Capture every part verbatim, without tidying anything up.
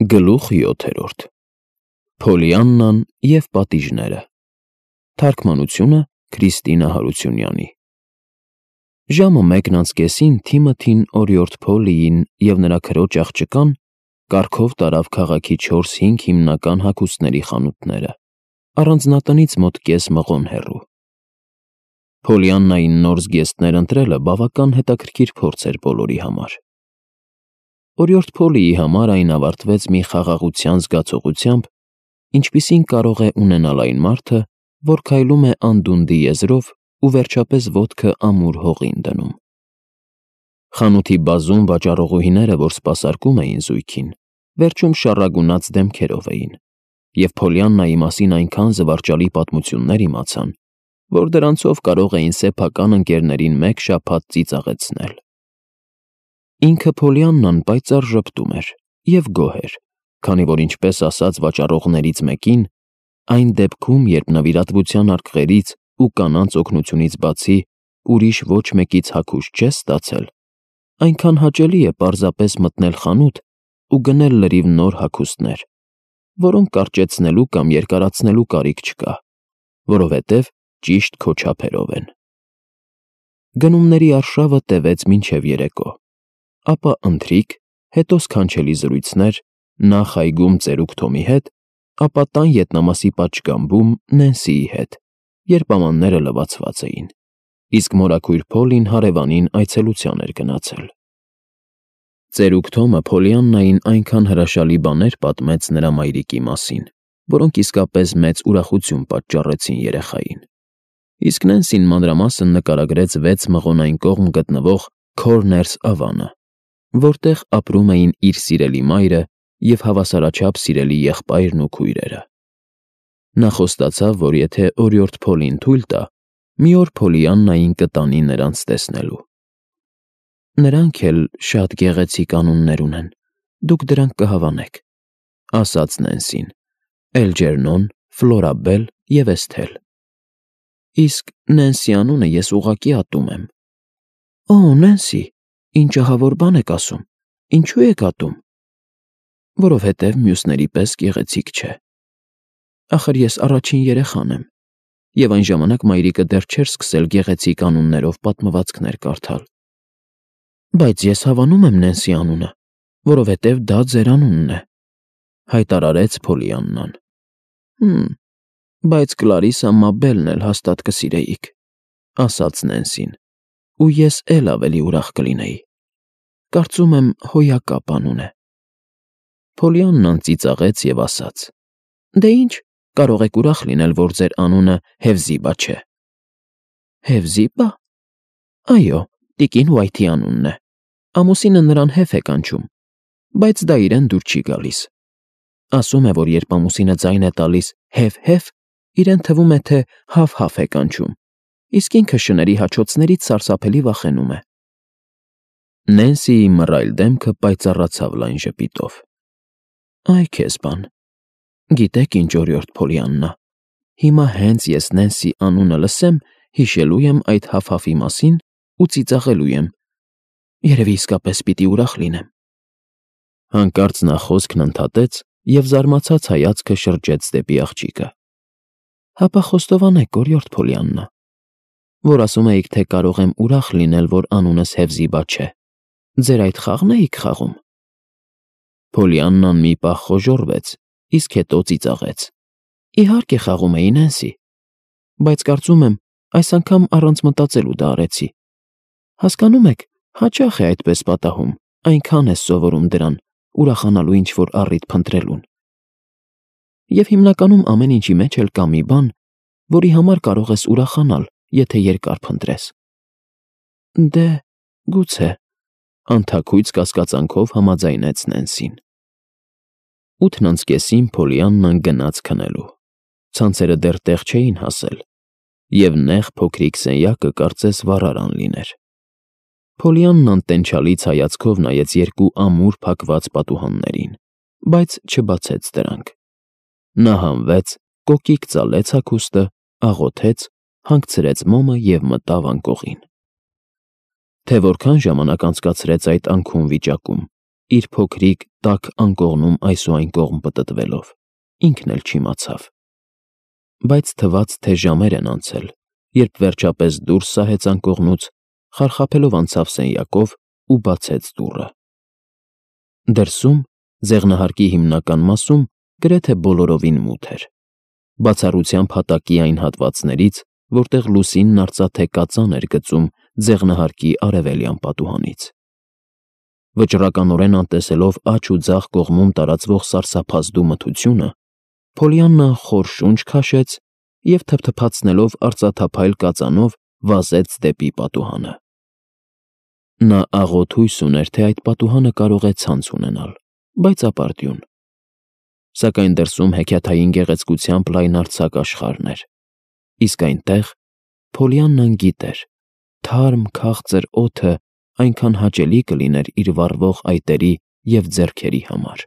Գլուխ յոթերորդ Փոլիաննան և պատիժները Թարգմանությունը Քրիստինա Հարությունյանի Ժամը մեկն անց կեսին Թիմոթին օրիորդ Փոլիին և նրա քրոջ աղջկան կառքով տարավ քաղաքի չորս-հինգ հիմնական հագուստների խանութները, առանձնատնից մոտ կես մղոն հեռու։ Փոլիաննային նոր զգեստներ ընտրելը բավական հետաքրքիր փորձ էր բոլորի համար։ Օրիորդ Փոլիի համար այն ավարտվեց մի խաղաղության զգացողությամբ, ինչպիսին կարող է ունենալ այն մարդը, որ քայլում է անդունդի եզրով ու վերջապես ոտքը ամուր հողին դնում։ Խանութի բազում վաճառողուհիները, որ սպասարկում էին զույգին, վերջում շառագունած դեմքերով էին, և Փոլիաննայի մասին այնքան զվարճալի պատմություններ իմացան, որ դրանցով կարող էին սեփական ընկերներին մեկ շաբաթ ծիծաղեցնել։ Ինքը Փոլիաննան պայծառ ժպտում էր և գոհ էր, քանի որ, ինչպես ասաց վաճառողներից մեկին, այն դեպքում, երբ նվիրատվության արկղերից ու կանանց օգնությունից բացի ուրիշ ոչ մեկից հագուստ չես ստացել, այնքան հաճելի է պարզապես մտնել խանութ ու գնել լրիվ նոր հագուստներ, որոնք կարճեցնելու կամ երկարացնելու կարիք չկա, որովհետև ճիշտ քո չափերով են։ Գնումների արշավը տևեց մինչև երեկո, ապա ընթրիք, հետո սքանչելի զրույցներ, նախ այգում ծերուկ Թոմի հետ, ապա տան ետնամասի պատշգամբում Նենսիի հետ, երբ ամանները լվացված էին, իսկ մորաքույր Փոլին հարևանին այցելության էր գնացել։ Ծերուկ Թոմը Փոլիաննային այնքան հրաշալի բաներ պատմեց նրա մայրիկի մասին, որոնք իսկապես մեծ ուրախություն պատճառեցին երեխային, իսկ Նենսին մանրամասն նկարագրեց վեց մղոնային կողմ գտնվող Քորներս ավանը, որտեղ ապրում էին իր սիրելի մայրը և հավասարաչափ սիրելի եղբայրն ու քույրերը։ Նա խոստացավ, որ եթե օրիորդ Փոլին թույլ տա, մի օր Փոլիաննային կտանի նրանց տեսնելու։ Նրանք էլ շատ գեղեցիկ անուններ ունեն, դուք դրանք կհավանեք, ասաց Նենսին, Էլջերնոն, Ֆլորաբել և Էսթել։ Իսկ Նենսի անունը ես ուղղակի ատում եմ։ Օ, Նենսի, ինչ ահավոր բան եք ասում, ինչու եք ատում։ Որովհետև մյուսների պես գեղեցիկ չէ։ Ախր ես առաջին երեխան եմ, և այն ժամանակ մայրիկը դեռ չէր սկսել գեղեցիկ անուններով պատմվածքներ կարդալ։ Բայց ես հավանում եմ Նենսի անունը, որովհետև դա ձեր անունն է, հայտարարեց Փոլիաննան։ Հմ, բայց Կլարիսա Մաբելն էլ հաստատ կսիրեիք, ասաց Նենսին, ու ես էլ ավելի ուրախ կլինեի։ Կարծում եմ հոյակապ անուն է։ Փոլիաննան ծիծաղեց և ասաց. Դե ինչ, կարող եք ուրախ լինել, որ ձեր անունը Հեֆզիբա չէ։ Հեֆզիբա։ Այո, տիկին Ուայթի անունն է։ Ամուսինը նրան Հեֆ է կանչում, բայց դա իրեն դուր չի գալիս։ Ասում է, որ երբ ամուսինը ձայն է տալիս Հև֊հև, իրեն թվում է, թե Հավ֊հավ է կանչում, իսկ ինքը շների հաչոցներից սարսափելի վախենում է։ Նենսիի մռայլ դեմքը պայծառացավ լայն ժպիտով։ Այ քեզ բան։ Գիտեք ինչ, օրիորդ Փոլիաննա, հիմա հենց ես Նենսի անունը լսեմ, հիշելու եմ այդ Հավ֊հավի մասին ու ծիծաղելու եմ։ Երևի իսկապես պիտի ուրախ լինեմ։ Հանկարծ նա խոսքն ընդհատեց և զարմացած հայացքը շրջեց դեպի աղջիկը։ Հապա խոստովանեք, օրիորդ Փոլիաննա, որ ասում էիք, թե կարող եմ ուրախ լինել, որ անունս Հեֆզիբա չէ։ Ձեր այդ խաղն էիք խաղում։ Փոլիաննան մի պահ խոժոռվեց, իսկ հետո ծիծաղեց։ Իհարկե խաղում էի, Նենսի, բայց կարծում եմ, այս անգամ առանց մտածելու դա արեցի։ Հասկանում եք, հաճախ է այդպես պատահում, այնքան ես սովորում դրան, ուրախանալու ինչ-որ առիթ փնտրելուն։ Եվ հիմնականում ամեն ինչի մեջ էլ կա մի բան, որի համար կարող ես ուրախանալ, եթե երկար փնտրես։ Դե, գուցե, անթաքույց կասկածանքով համաձայնեց Նենսին։ Ութն անց կեսին Փոլիաննան գնաց քնելու։ Ցանցերը դեռ տեղ չէին հասել, և նեղ փոքրիկ սենյակը կարծես վառարան լիներ։ Փոլիաննան տենչալից հայացքով նայեց երկու ամուր փակված պատուհաններին, բայց չբացեց դրանք։ Նա հանվեց, կոկիկ ծալեց հագուստը, աղոթեց, հանգցրեց մոմը և մտավ անկողին։ Թե որքան ժամանակ անցկացրեց այդ անքուն վիճակում, իր փոքրիկ տաք անկողնում այս ու այն կողմ պտտվելով, ինքն էլ չիմացավ։ Բայց թվաց, թե ժամեր են անցել, երբ վերջապես դուրս սահեց անկողնուց, խարխափելով անցավ սենյակով ու բացեց դուռը։ Դրսում, ձեղնահարկի հիմնական մասում, գրեթե բոլորովին մութ էր, բացառությամբ հատակի այն հատվածներից, որտեղ լուսինն արծաթե կածան էր գծում ձեղնահարկի արևելյան պատուհանից։ Վճռականորեն անտեսելով աջ ու ձախ կողմում տարածվող սարսափազդու մթությունը, Փոլիաննան խոր շունչ քաշեց և թփթփացնելով արծաթափայլ կածանով վազեց դեպի պատուհանը։ Նա աղոթ հույս ուներ, թե այդ պատուհանը կարող է ցանց ունենալ, բայց ապարդյուն։ Սակայն դրսում հեքիաթային գեղեցկությամբ լայնարձակ աշխարհն էր, իսկ այնտեղ Փոլիաննան գիտեր, թարմ քաղցր օդը այնքան հաճելի կլիներ իր վառվող այտերի և ձեռքերի համար։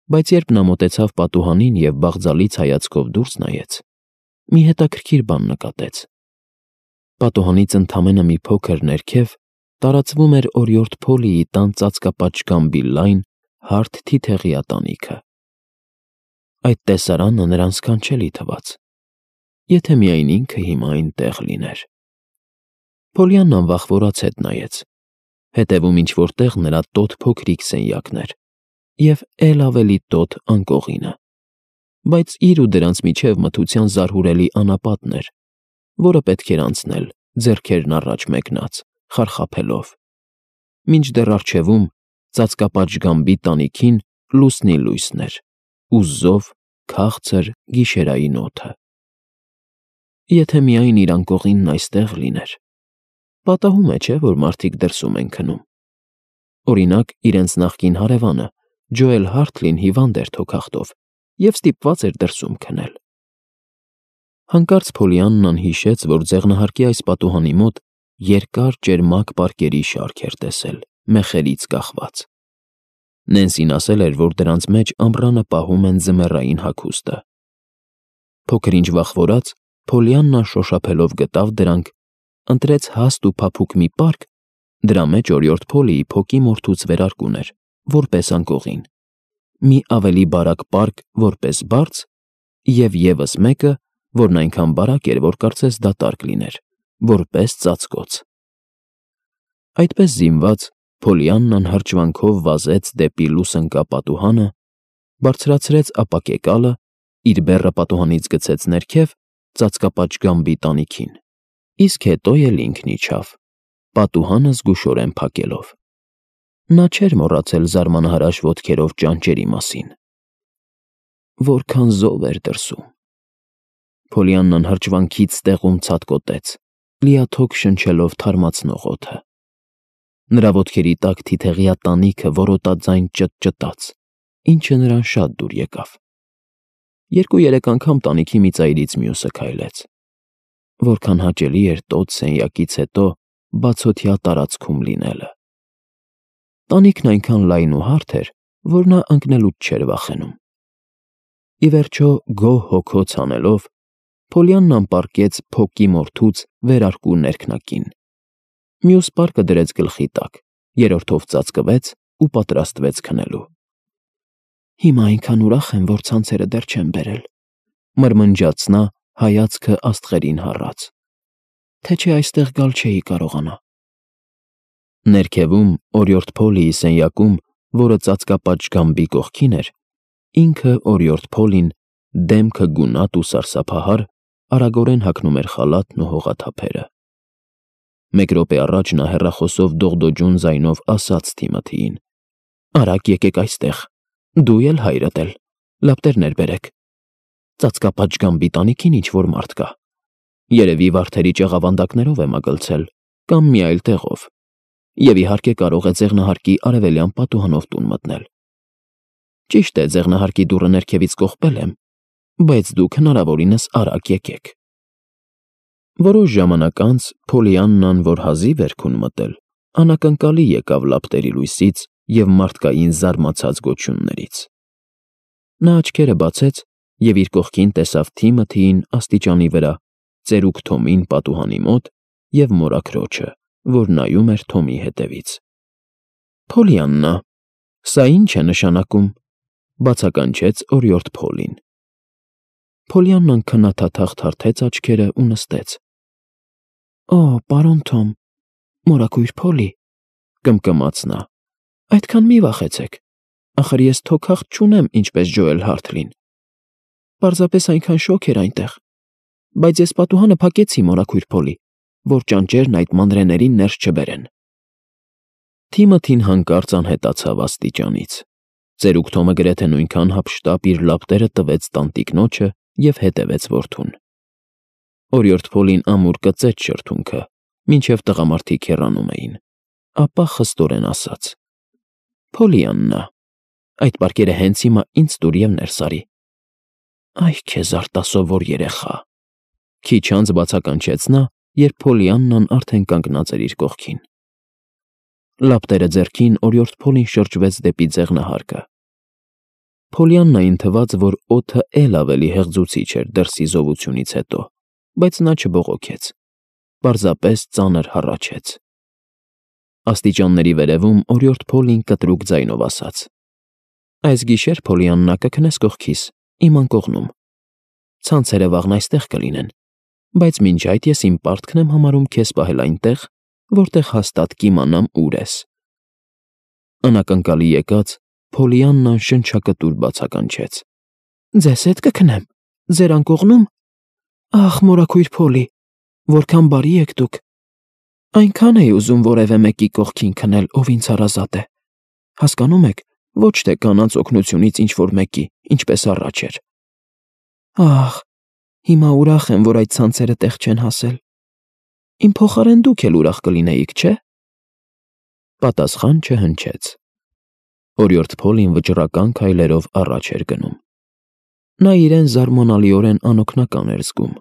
Բայց երբ նա մոտեցավ պատուհանին և բաղձալից հայացքով դուրս նայեց, մի հետաքրքիր բան նկատեց. պատուհանից ընդամենը մի փոքր ներքև տարածվում էր օրիորդ Փոլիի տան ծածկապատշգամբի լայն, հարթ թիթեղյա տանիքը։ Այդ տեսարանը նրան սքանչելի թվաց, եթե միայն ինքը հիմա այնտեղ լիներ։ Փոլիաննան վախվորած հետ նայեց, հետևում ինչ-որ տեղ նրա տոտ փոքրիկ սենյակն էր և էլ ավելի տոտ անկողինը, բայց իր ու դրանց միջև մթության զարհուրելի անապատն էր, որը պետք էր անցնել, ձեռքերն առաջ մեկնած, խարխափելով, մինչդեռ առջևում, ծածկապատշգամբի տանիքին լուսնի լույսն էր ու զով, քաղցր գիշերային օդը։ Եթե միայն իր անկողինն այստեղ լիներ։ Պատահում է, չէ՞, որ մարդիկ դրսում են քնում։ Օրինակ, իրենց նախկին հարևանը, Ջոել Հարթլին հիվանդ էր թոքախտով և ստիպված էր դրսում քնել։ Հանկարծ Փոլիաննան հիշեց, որ ձեղնահարկի այս պատուհանի մոտ երկար ճերմակ պարկերի շարք էր տեսել, մեխերից կախված։ Նենսին ասել էր, որ դրանց մեջ ամռանը պահում են ձմեռային հագուստը։ Փոքր-ինչ վախվորած, Փոլիաննան շոշափելով գտավ դրանք, ընտրեց հաստ ու փափուկ մի պարկ, դրա մեջ օրիորդ Փոլիի փոքի մորթուց վերարկուն էր, որպես անկողին, մի ավելի բարակ պարկ, որպես բարձ, և ևս մեկը, որն այնքան բարակ էր, որ կարծես դատարկ լիներ, որպես ծածկոց։ Այդպես զինված, Փոլիաննան հրճվանքով վազեց դեպի լուսնկա պատուհանը, բարձրացրեց ապակեկալը, իր բեռը պատուհանից գցեց ներքև, ծածկապատշգամբի տանիքին, իսկ հետո էլ ինքն իջավ, պատուհանը զգուշորեն փակելով։ Նա չէր մոռացել զարմանահրաշ ոտքերով ճանճերի մասին։ Որքան զով էր դրսում։ Փոլիաննան հրճվանքից ստեղում ցատկոտեց, լիաթոք շնչելով թարմացնող օդը։ Նրա ոտքերի տակ թիթեղյա տանիքը որոտաձայն ճտճտաց, ինչը նրան շատ դուր եկավ։ Երկու֊երեք անգամ տանիքի մի ծայրից մյուսը քայլեց։ Որքան հաճելի էր տոտ սենյակից հետո բացօթյա տարածքում լինելը։ Տանիքն այնքան լայն ու հարթ էր, որ նա ընկնելուց չէր վախենում։ Ի վերջո, գոհ հոգոց անելով, Փոլիաննան պառկեց փոքի մորթուց վերարկու ներքնակին։ Մյուս պարկը դրեց գլխի տակ, երրորդով ծածկվեց ու պատրաստվեց քնելու։ Հիմա այնքան ուրախ եմ, որ ցանցերը դեռ չեմ բերել, մրմնջաց նա, հայացքը աստղերին հառած, թե չէ այստեղ գալ չէի կարողանա։ Ներքևում, օրիորդ Փոլիի սենյակում, որը ծածկապատշգամբի կողքին էր, ինքը օրիորդ Փոլին, դեմքը գունատ ու սարսափահար, արագորեն հագնում էր խալաթն ու հողաթափերը։ Մեկ րոպե առաջ նա հեռախոսով դողդոջուն ձայնով ասաց Թիմոթիին. «Արագ եկեք այստեղ, դու էլ հայրդ էլ, լապտերներ բերեք։ Ծածկապատշգամբի տանիքին ինչ-որ մարդ կա։ Երևի վարդերի ճաղավանդակներով է մագլցել կամ մի այլ տեղով, և իհարկե կարող է ձեղնահարկի արևելյան պատուհանով տուն մտնել։ Ճիշտ է, ձեղնահարկի դուռը ներքևից կողպել եմ, բայց դուք հնարավորինս արագ եկեք»։ Որոշ ժամանակ անց Փոլիաննան, որ հազիվ էր քուն մտել, անակնկալի եկավ լապտերի լույսից և մարդկային զարմացած գոչյուններից։ Նա աչքերը բացեց և իր կողքին տեսավ Թիմոթիին աստիճանի վրա, ծերուկ Թոմին պատուհանի մոտ և մորաքրոջը, որ նայում էր Թոմի հետևից։ «Փոլիաննա», Սա ի՞նչ է նշանակում,֊ բացականչեց օրիորդ Փոլին։ Փոլիաննան քննադատաղ թարթեց աչքերը ու նստեց։ Օ, պարոն Թոմ, մորաքույր Փոլի,֊ կմկմաց նա,֊ այդքան մի վախեցեք, ախր ես թոքախտ չունեմ, ինչպես Ջոել Հարթլին։ Պարզապես այնքան շոգ էր այնտեղ, բայց ես պատուհանը փակեցի, մորաքույր Փոլի, որ ճանճերն այդ մանրէներին ներս չբերեն։ Թիմոթին հանկարծ անհետացավ աստիճանից։ Ծերուկ Թոմը գրեթե նույնքան հափշտապ իր լապտերը տվեց տանտիկնոջը և հետևեց որդուն։ Օրիորդ Փոլին ամուր կծեց շրթունքը, մինչև տղամարդիկ հեռանում էին, ապա խստորեն ասաց. Փոլիաննա, այդ պարկերը հենց հիմա ինձ տուր և ներս արի։ Այ քեզ արտասովոր երեխա, քիչ անց բացականչեց նա, երբ Փոլիաննան արդեն կանգնած էր իր կողքին։ Լապտերը ձեռքին օրիորդ Փոլին շրջվեց դեպի ձեղնահարկը։ Փոլիաննային թվաց, որ օդը էլ ավելի հեղձուցիչ էր դրսի զովությունից հետո, բայց նա չբողոքեց, պարզապես ծանր հառաչեց։ Աստիճանների վերևում օրիորդ Փոլին կտրուկ ձայնով ասաց. Այս գիշեր, Փոլիաննա, կքնես կողքիս, իմ անկողնում։ Ցանցերը վաղն այստեղ կլինեն, բայց մինչ այդ ես իմ պարտքն եմ համարում քեզ պահել այնտեղ, որտեղ հաստատ կիմանամ ուր ես։ Անակնկալի եկած, Փոլիաննան շնչակտուր բացականչեց. Ձեզ հետ կքնեմ, ձեր անկողնու՞մ։ Ախ, մորաքույր Փոլի, որքան բարի եք դուք։ Այնքան էի ուզում որևէ մեկի կողքին քնել, ով ինձ հարազատ է։ Հասկանում եք, ոչ թե կանանց օգնությունից ինչ-որ մեկի, ինչպես առաջ էր։ Ախ, հիմա ուրախ եմ, որ այդ ցանցերը տեղ չեն հասել։ Իմ փոխարեն դուք էլ ուրախ կլինեիք, չէ՞։ Պատասխան չհնչեց։ Օրիորդ Փոլին վճռական քայլերով առաջ էր գնում։ Նա իրեն զարմանալիորեն անօգնական էր զգում։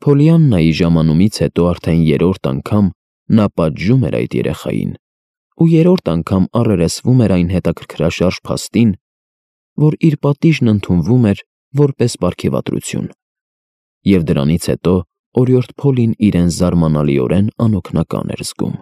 Փոլիաննայի ժամանումից հետո արդեն երրորդ անգամ նա պատժում էր այդ երեխային, ու երրորդ անգամ առերեսվում էր այն հետաքրքրաշարժ փաստին, որ իր պատիժն ընդունվում էր որպես պարգևատրություն, և դրանից հետո օրիորդ Փոլին իրեն զարմանալիորեն անօգնական էր զգում։